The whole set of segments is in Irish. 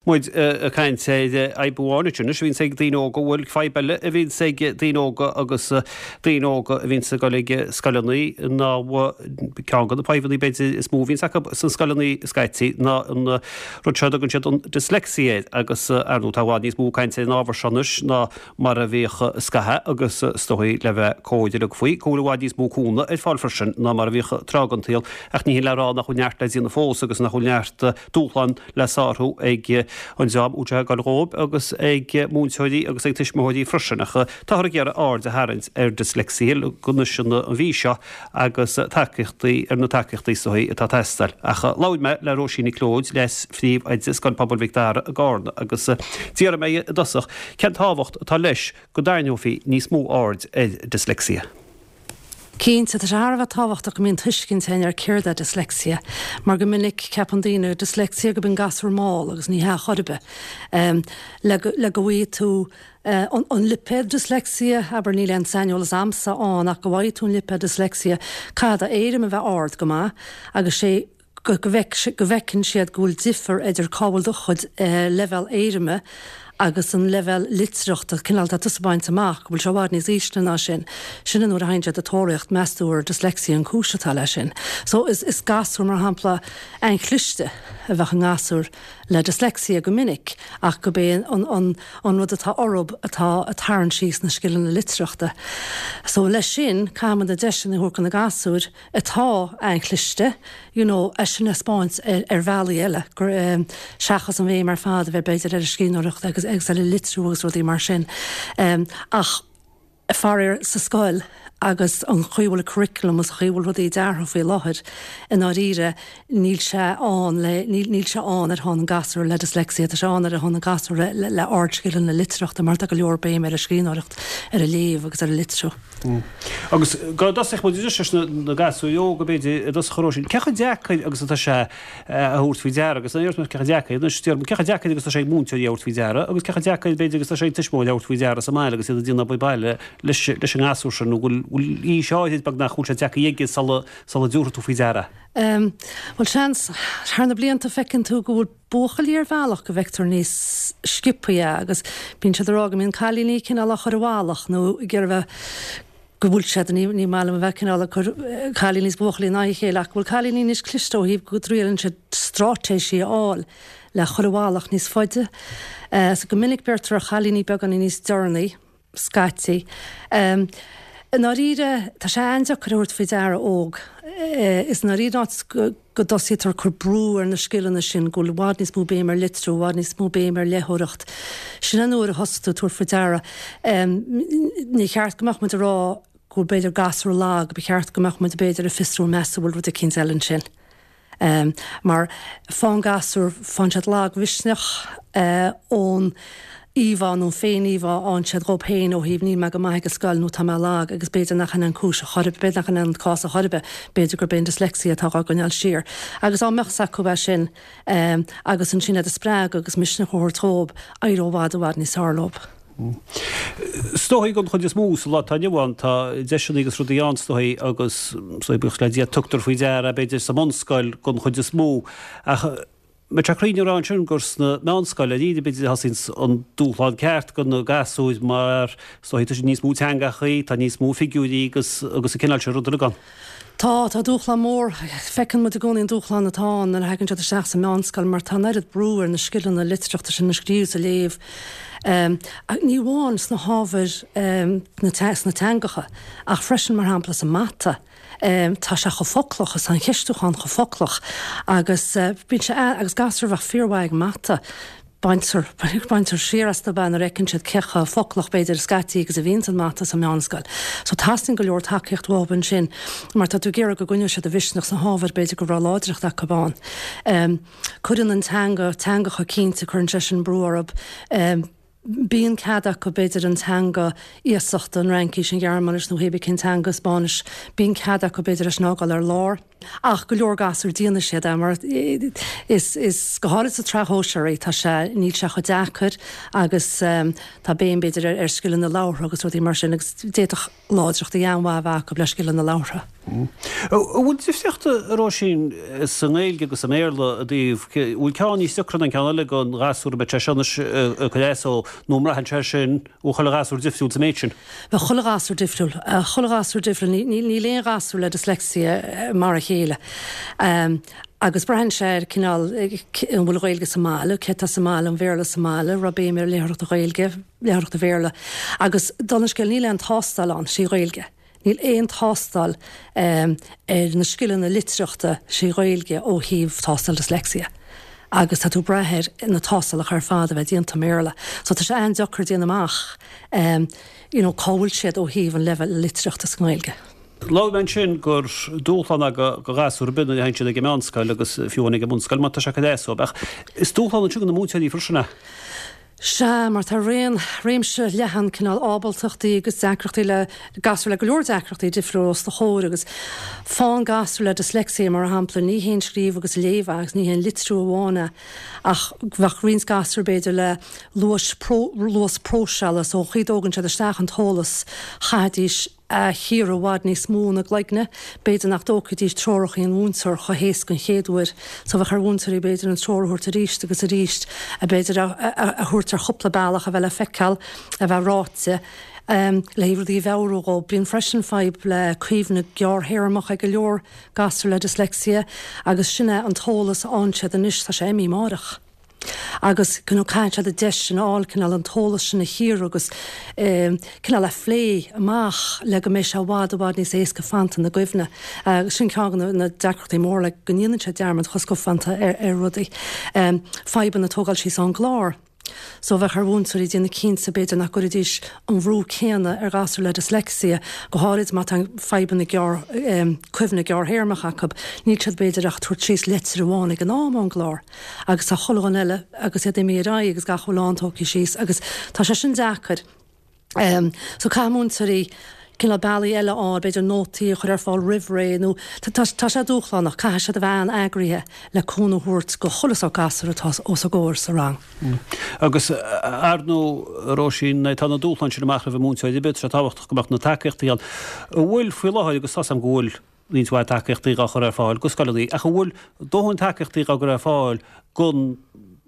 Muid ag caint ar fhadhb amháin anois a bhíonns ag daoine óga, bhuel, fadhb eile a bhíonns ag daoine óga agus daoine óga a bhíonns ag dul ag scoileanna ná ceann de na fadhbanna b'fhéidir is mó a bhíonns acu sna scoileanna scaití ná an rud seo a dtugann siad an dyslexia air agus ar ndóigh tá i bhfad níos mó cainte ar an ábhar seo anois ná mar a bhíodh scaitheamh agus is dóigh le bheith cóir uilig faoi go bhfuil i bhfad níos mó cúnamh ar fáil freisin ná mar a bhíodh tráth den tsaol ach ní hin le rá nach bhfuil neart le déanamh fós agus nach bhfuil neart dúshlán le sárú ag an dream a bhfuil sé ag dul dhóibh agus ag múinteoirí agus ag tuismitheoirí freisin ach táthar ag iarraidh aird a tharraingt ar dyslexia anois an mhí seo agus tacaíochtaí ar na tacaíochtaí is dóigh atá ag teastáil. Ach labhair mé le Róisín Nic Leoid, Leas-Phríomhoide Scoil Pobail Mhic Dara i gCarna agus d'iarr mé i dtosach cén tábhacht atá leis go dtarraingeofaí níos mó aird ar dyslexia. Cinnte, tá sé thar a bheith tábhachtach go mbíonn tuiscint againn ar céard é dyslexia, mar go minic ceapann daoine dyslexia gurb in gasúr mall agus ní hea chor ar bith. Le go le go bhfaighidh tú an lipéad dyslexia, abair, níl aon saineolas a'msa ann ach go bhfaighidh tú an lipéad dyslexia, caithfidh do éirim a bheith ard go maith agus sé go bhfeiceann siad go bhfuil difear idir cá bhfuil do chuid leibhéal éirime agus an leibhéal litearthachta, cineál atá tusa ag baint amach, go bhfuil sé i bhfad níos ísle ná sin. Sin an uair a théann siad ag tóraíocht, meas tú ar dyslexia an cúis atá leis sin. So is is gasúr, mar shampla, an-chliste a bheadh i ngasúr le dyslexia go minic ach gurb é an an an rud atá orthub atá ag tarraingt síos na scileanna litearthachta. So leis sin, caithfimid na deiseanna a thabhairt do na gasúir, atá an-chliste, you know, é sin a 'speáint ar bhealaí eile, gur, seachas an bhéim ar fad a bheith b'fhéidir ar an scríbhneoireacht agus agus ar an litriú agus rudaí mar sin. Ach faraor sa scoil agus an chaoi a bhfuil an curriculum agus an chaoi a bhfuil rudaí deartha faoi láthair, i ndáiríre níl sé ann le, níl, níl sé ann ar shon an gasúr le dyslexia, tá sé ann ar shon an gasúr le, le, le ardscileanna litearthachta mar tá go leor béim ar an scríbhneoireacht, ar an léamh agus ar an litriú. Agus dá dtosódh muid anois leis na gasúir óga, b'fhéidir, i dtosach a Róisín, cé chomh deacair agus atá sé a thabhairt faoi deara, agus ní déarfaidh mé cé chomh deacair, anois déarfaidh mé cé chomh deacair agus atá sé ag múinteoirí a thabhairt faoi deara, agus cé chomh deacair, b'fhéidir, agus atá sé ag tuismitheoirí a thabhairt faoi deara sa mbaile agus iad ag déanamh obair baile leis leis an ngasúr sin, nó go bhfuil aois áirid beagnach go bhfuil sé deacair aige sula sula dtabharfaidh tú faoi deara. Bhuel, seans, thar na blianta feiceann tú go bhfuil buachaillí ar bhealach go bhfeictear níos sciobthaí é agus bíonn siad ag rá go mbíonn cailíní cineál á chur i bhfalach nó ag iarraidh bheith go bhfuil siad, ní ní maith liom a bheith cineál ag cur cailíní is buachaillí in aghaidh a chéile ach go bhfuil cailíní níos cliste ó thaobh go dtriaileann siad straitéisí a fháil le chur i bhfalach níos faide. So go minic beirtear ar chailíní beagáinín níos deireanaí. scaití. I ndáiríre, tá sé an-deacair a thabhairt faoi deara óg. Is i ndáiríre an áit go dtosaítear ag cur brú ar na scileanna sin, go bhfuil i bhfad níos mó béim ar litriú, i bhfad níos mó béim ar léitheoireacht. Sin an uair a thosaigh tú ag tabhairt faoi deara. Ní cheart go mbeadh muid ag rá go bhfuil b'fhéidir gasúr lag, ba cheart go mbeadh muid b'fhéidir ag fiosrú meas tú an bhfuil rud eicínt eile ansin. Mar faigheann gasúir, faigheann siad lagmhisneach ón íomhá nó an féin-íomhá a fhaigheann siad dhóibh féin ó thaobh níl mé go maith ag an scoil nó tá mé lag agus b'fhéidir nach in an cúis a chor ar bith, b'fhéidir nach in an cás a chor ar bith, b'fhéidir gurb é an dyslexia atá dhá gcoinneáil siar. Agus dá mbeadh 's acu é sin agus ansin iad a spreagadh agus misneach a thabhairt dhóibh, éireodh i bhfad i bhfad níos fearr leo. Is dóigh don chuid is mó sa lá atá inniu ann, tá deiseanna agus rudaí ann is dóigh agus is dóigh buíochas le Dia tugtar faoi deara b'fhéidir sa mbunscoil don chuid is mó ach mbeadh sé cruinn a rá ansin gur sna meánscoil arís b'fhéidir a thosaíonns an dúshlán ceart do na gasúir mar is dóigh tá níos mó teangachaí, tá níos mó figiúirí agus agus an cineál sin rud uilig ann. Tá, tá dúshlán mór. Feiceann muid i gcónaí an dúshlán atá ann nuair a thagann siad isteach sa meánscoil mar tá an oiread brú ar na scileanna litearthachta sin, an scríobh is an léamh. Ní amháin sna hábhair sna teangacha ach freisin mar shampla sa mata. Tá sé chomh foclach is tá an cheistiúchán chomh foclach agus bíonn sé, agus gasúir a bheadh fíormhaith ag mata, Baintear, baintear siar astu nuair a fheiceann siad cé chomh foclach b'fhéidir scaití agus a bhíonns an mata sa meánscoil. So teastaíonn go leor tacaíocht uathu ansin mar tá tú ag iarraidh go gcoinneoidh siad a mhisneach sna hábhair b'fhéidir go raibh láidreacht acu ann. Cuireann an teanga, teangacha cinnte, cuireann sé sin brú orthu. Bíonn cead acu b'fhéidir an teanga iasachta, an Fhraincis, an Ghearmáinis nó hébí cén teanga, Spáinnis, bíonn cead acu b'fhéidir é sin a fhágáil ar lár. Ach go leor gasúr déanfaidh siad é mar is, is, go háirid sa tsraith shóisearach, tá sé, níl sé chomh deacair agus tá béim b'fhéidir ar, ar scileanna labhartha agus rudaí mar sin agus d'fhéadfadh láidreachtaí an-mhaith a bheith acu le scileanna labhartha. An bhfuil difríocht, a Róisín, sa nGaeilge agus sa mBéarla i dtaobh, an bhfuil ceann níos deacra ná an ceann eile don ghasúr, an mbeidh sé seo anois ag cur as dó nó an mbraitheann sé sin, an bhfuil chuile ghasúr difriúil sa méid sin? Bheadh chuile ghasúr difriúil. Chuile ghasúr difriúil. Níl aon ghasúr le dyslexia mar a chéile. Agus braitheann sé ar cineál, an bhfuil Gaeilge sa mbaile, cé atá sa mbaile, an Bhéarla sa mbaile, raibh béim ar léitheoireacht Ghaeilge, léitheoireacht Bhéarla. Agus dála an scéil, níl aon tástáil ann trí Ghaeilge. Níl aon tástáil ar na scileanna litearthachta trí Ghaeilge ó thaobh tástáil dyslexia. Agus tá tú ag brath ar na tástálacha ar fad a bheith déanta i mBéarla. So tá sé an-deacair déanamh amach you know cá bhfuil siad ó thaobh an leibhéal litearthachta sa nGaeilge. Luaigh mé ansin gur dúshlán é do ghasúir ar bith nuair a théann siad ag an meánscoil agus fiú amháin ag an mbunscoil má tá sé ag cur as dóibh. Ach is dúshlán ansin do na múinteoirí freisin é. Sea, mar tá raon, réimse leathan cineál ábaltachtaí agus deacrachtaí le, gasúir le go leor deacrachtaí difriúla os do chomhair agus fán gasúr le dyslexia mar shampla, ní haon scríobh agus léamh é agus ní haon litriú amháin é ach bheadh roinnt gasúr b'fhéidir le luas, luas próiseála so an chaoi a dtógann siad isteach an t-eolas chaithfidís a chíoradh i bhfad níos mó ina gcloigne. B'fhéidir nach dtógfaidís treoracha an mhúinteoir chomh héasca an chéad uair so bheadh ar mhúinteoirí b'fhéidir an treoir a thabhairt arís agus arís, a b'fhéidir a thabhairt ar chúpla bealach a bheith le feiceáil, a bheith ráite, le haghaidh rudaí a mheabhrú dhóibh. Bíonn freisin fadhb le cuimhne gearrthéarmach ag go leor gasúr le dyslexia agus sin é an t-eolas a fhaigheann siad anois, tá sé imithe amáireach. Agus you know caithfidh siad an deis sin a fháil cineál an t-eolas sin a chíoradh agus cineál a phlé amach le go mbeidh sé i bhfad i bhfad níos éasca fanta ina gcuimhne. Agus sin ceann de na deacrachtaí móra le go ndéanann siad dearmad chomh scafánta ar ar rudaí. Fadhbanna tógáil síos ón gclár. So bheadh ar mhúinteoirí déanamh cinnte b'fhéidir nach gcuirfidís an bhrú céanna ar ghasúr le dyslexia, go háirid má tá fadhbanna gearr cuimhne gearrthéarmach acu, níl siad b'fhéidir ach ag tabhairt síos leitir amháin ag an am ón gclár. Agus tá chuile dhuine eile agus iad imithe ar aghaidh agus gach a bhfuil ann tógtha síos agus tá sé sin deacair. So caithfidh múinteoirí cineál bealaí eile a fháil, b'fhéidir nótaí a chur ar fáil roimh ré nó tá tá sé dúshlánach, caithfidh siad a bheith an-eagraithe le cúnamh a thabhairt go chuile sórt gasúr atá os a gcomhair sa rang. Agus ar ndóigh, a Róisín, tá na dúshláin sin amach roimh an múinteoir ar bith, tá sé tábhachtach go mbeadh na tacaíochtaí ann. An bhfuil faoi láthair, agus tá's agam go bhfuil roinnt mhaith tacaíochtaí dhá chur ar fáil go scoileanna, ach an bhfuil dóthain tacaíochtaí dhá gcur ar fáil go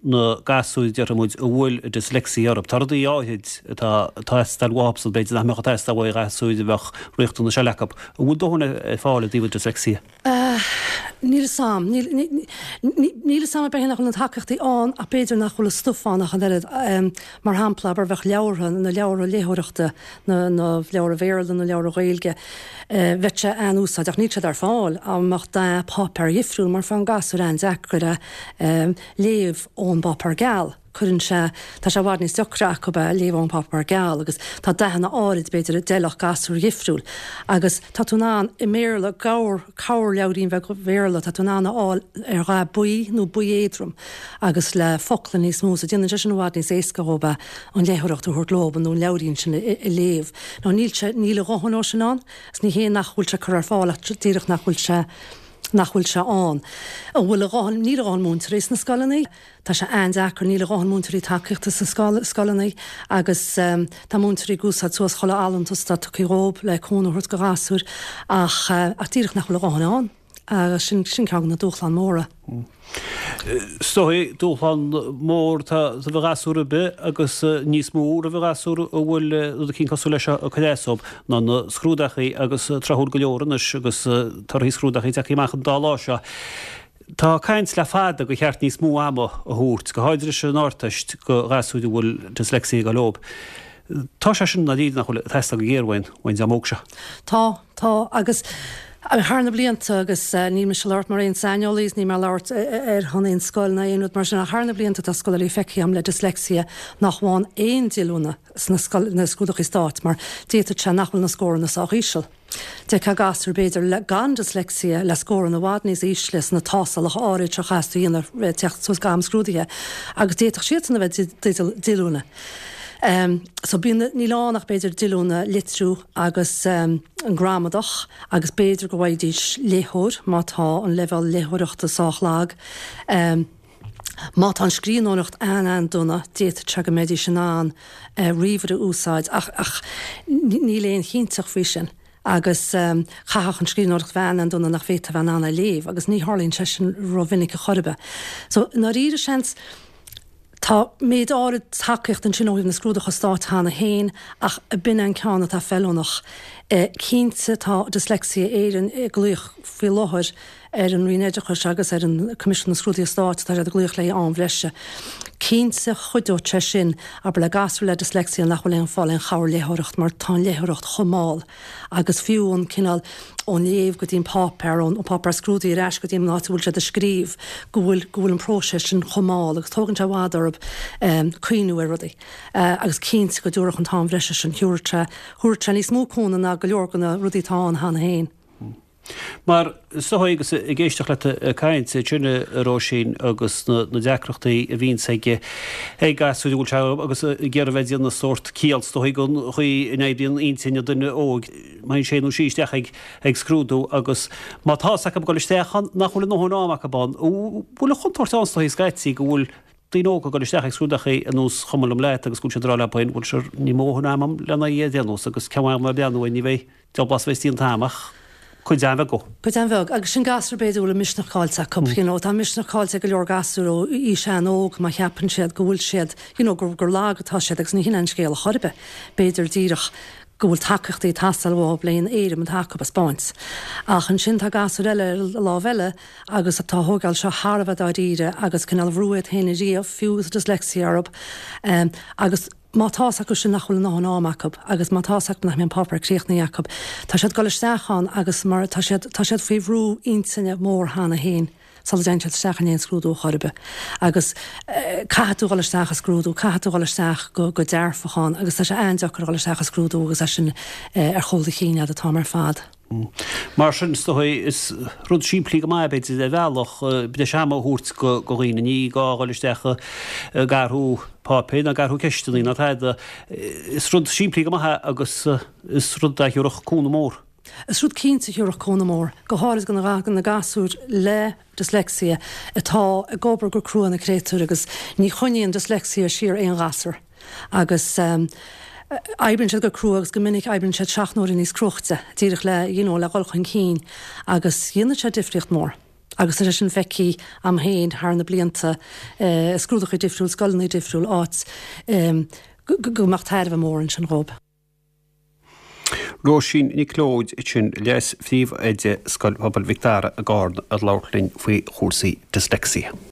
na gasúir, déarfaidh muid, a bhfuil dyslexia orthu? Tá rudaí áithrid atá ag teastáil uathubsan, b'fhéidir nach mbeadh ag teastáil uaidh ghasúir a bheadh riachtanais eile acu. An bhfuil dóthain ar fáil i dtaobh an dyslexia? Níl 'fhios a'm. Níl 'fhios a'm ab é nach bhfuil na tacaíochtaí ann ach b'fhéidir nach bhfuil an stuif ann ach an oiread. Mar shampla, abair, bheadh leabhartha, na leabhartha léitheoireachta, na leabhartha Bhéarla, na leabhartha Ghaeilge, bheadh sé an-úsáideach. Níl siad ar fáil dá mbeadh dath páipéar dhifriúil mar faigheann gasúir an-deacair é léamh ón bpáipéar geal. Cuireann sé, tá sé i bhfad níos deacra acu é léamh ón bpáipéar geal agus tá dathanna áirid b'fhéidir a d'fheilfeadh gasúir dhifriúil agus tá tú in ann i mBéarla, cabhair, cabhairleabhairín bheag Bhéarla, tá tú in ann a fháil ar dhath buí nó buí éadrom agus le focla níos mó so déanann sé sin i bhfad níos éasca dhóibh é an léitheoireacht a thabhairt leob nó an leabhairín sin a léamh. Nó níl sé, níl a dhóthain dhó sin ann agus ní hé nach bhfuil sé curtha ar fáil ach díreach nach bhfuil sé, nach bhfuil sé ann. An bhfuil a dhóthain, níl a dhóthain múinteoirí sna scoileanna, tá sé an-deacair, níl a dhóthain múinteoirí tacaíochta sna scoileanna agus tá múinteoirí ag úsáid suas chuile fholúntas atá tugtha dhóibh le cúnamh a thabhairt do ghasúir ach, ach díreach nach bhfuil a dhóthain ann. Agus sin, sin ceann de na dúshláin mhóra. Is dóigh, dúshlán mór atá roimh ghasúr ar bith agus níos mó roimh ghasúr a bhfuil rud eicínt cosúil leis seo ag cur as dóibh ná na scrúdachaí agus tráthúil go leor anois agus torthaí scrúdachaí tagtha amach an dá lá seo. Tá caint le fada gur cheart níos mó ama a thabhairt, go háirid leis an Ardteist, do ghasúir a bhfuil dyslexia ag dul leob. Tá sé sin i ndáiríre nach bhfuil ag teastáil go géar uainn, uain dream óg seo. Tá, tá, agus thar na blianta, agus níl mise ag labhairt mar aon saineolaí is níl mé ag labhairt ar shon aon scoil ná aon rud mar sin, ach thar na blianta tá scoláirí feicthe agam le dyslexia nach bhfaigheann aon díolúine sna na scrúduchaí stáit mar d'fhéadfadh sé nach bhfuil na scóranna sách íseal. D'fheicfeá gasúr b'fhéidir le gan dyslexia le scóranna i bhfad níos ísle sna tástálacha áirid seo a chaithfeas tú a dhéanamh teacht suas go am scrúdaithe agus d'fhéadfadh siadsan a bheith i dteideal díolúine. So bíonn, níl ann ach b'fhéidir díolúine litriú agus an gramadach agus b'fhéidir go bhfaighidís léitheoir má tá an leibhéal léitheoireachta sách lag. Má tá an scríbhneoireacht an-an-dona, d'fhéadfadh sé go mbeidís in ann ríomhaire a úsáid ach ach níl aon chinnteacht faoi sin agus chaithfeadh an scríbhneoireacht bheith an-an-dona nach bhféadfá a bheith in ann é a léamh agus ní tharlaíonn sé sin rómhinic a chor ar bith. So, i ndáiríre seans, tá méid áirid tacaíocht ansin ó thaobh na scrúduithe stáit cheana féin ach b'in an ceann atá feiliúnach. Cinnte tá Dyslexia Éireann ag glaoch faoi láthair ar an Roinn Oideachais agus ar an Coimisiún na Scrúduithe Stáit, tá siad ag glaoch le haghaidh am bhreise. Cinnte chuideodh sé sin, abair le gasúir le dyslexia nach bhfuil aon fáil aon chabhair léitheoireacht mar tá an léitheoireacht chomh mall agus fiú an cineál ón léamh go dtí an páipéar, ón páipéar scrúdaithe ar ais go dtí an áit a bhfuil siad ag scríobh, go bhfuil go bhfuil an próiseas sin chomh mall agus tógann sé i bhfad orthu cuimhniú ar rudaí. Agus cinnte go dtabharfadh an t-am bhreise sin, thabharfadh sé thabharfadh sé níos mó cúnamh ná go leor de na rudaí atá ann cheana féin. Mar is dóigh agus ag éisteacht leat ag caint ansin a Róisín agus na deacrachtaí a bhíonns ag ag gasúir a bhfuil sé agus ag iarraidh bheith ag déanamh sórt ciall is dóigh den chaoi a n-oibríonn intinn an duine óig má théann sé nó sí isteach ag ag scrúdú agus má tá fhios acu ag dul isteach ann nach bhfuil a ndóthain am acu ann. Bhfuil an chontúirt ann is dóigh scaití go bhfuil daoine óga ag dul isteach ag scrúdachaí ar nós chuma liom leat agus go bhfuil siad ag rá leo féin bhuel sure níl mo dhóthain ama agam lena é a dhéanamh agus ceann am a bhreathnú air ní bheidh Diabhal blas a bheas an t-am ach cuid an-bheag dhó. Cuid an-bheag. Agus sin gasúr b'fhéidir a bhfuil a misneach caillte acu, you know. Tá a misneach caillte ag go leor gasúr ó aois an-óg má cheapann siad go bhfuil siad, you know, gur, gur lag atá siad agus ní hin é an scéal a chor ar bith. B'fhéidir díreach go bhfuil tacaíochtaí ag teastáil uathu le an éirim atá acu a 'spáint. Ach ansin tá gasúir eile ar an lámh eile agus atá ag tógáil seo thar a bheith dáiríre agus cineál ag brú iad féin ariamh, fiú agus dyslexia orthu. Agus. Má tá's acu sin nach bhfuil a ndóthain am acu agus má tá's acu nach mbeidh an páipéar críochnaithe acu, tá siad ag dul isteach ann agus mar tá siad, tá siad faoi bhrú intinne mór cheana féin sula dtéann siad isteach in aon scrúdú chor ar bith. Agus caithfidh tú dhul isteach i scrúdú, caithfidh tú dhul isteach go, go dearfach ann agus tá sé an-deacair dhul isteach i scrúdú agus é sin ar chúl do chinn agat an t-am ar fad. Mar sin, is dóigh, is rud simplí go maith, b'fhéidir, ar bhealach, breis ama a thabhairt do dhaoine. Ní gá a dhul isteach ag athrú páipéir ná ag athrú ceisteanna ná tada. Is rud simplí go maith é agus is rud a thabharfadh cúnamh mór. Is rud cinnte a thabharfadh cúnamh mór, go háirid do na gasúir le dyslexia atá ag obair go crua na créatúir agus ní choinníonn dyslexia siar aon ghasúr. Agus oibríonn siad go crua agus go minic oibríonn siad seacht n-uaire níos cruaichte, díreach le, you know, le dhul chun cinn agus dhéanfadh sé difríocht mór. Agus tá sé sin feicthe a'm féin thar na blianta i scrúduithe difriúil, scoileanna difriúil, áit go mbeadh tairbhe mór ansin dhóibh. Róisín Nic Leoid ansin, Leas-Phríomhoide Scoil Phobail Mhic Dara i gCarna ag labhairt linn faoi chúrsaí dyslexia.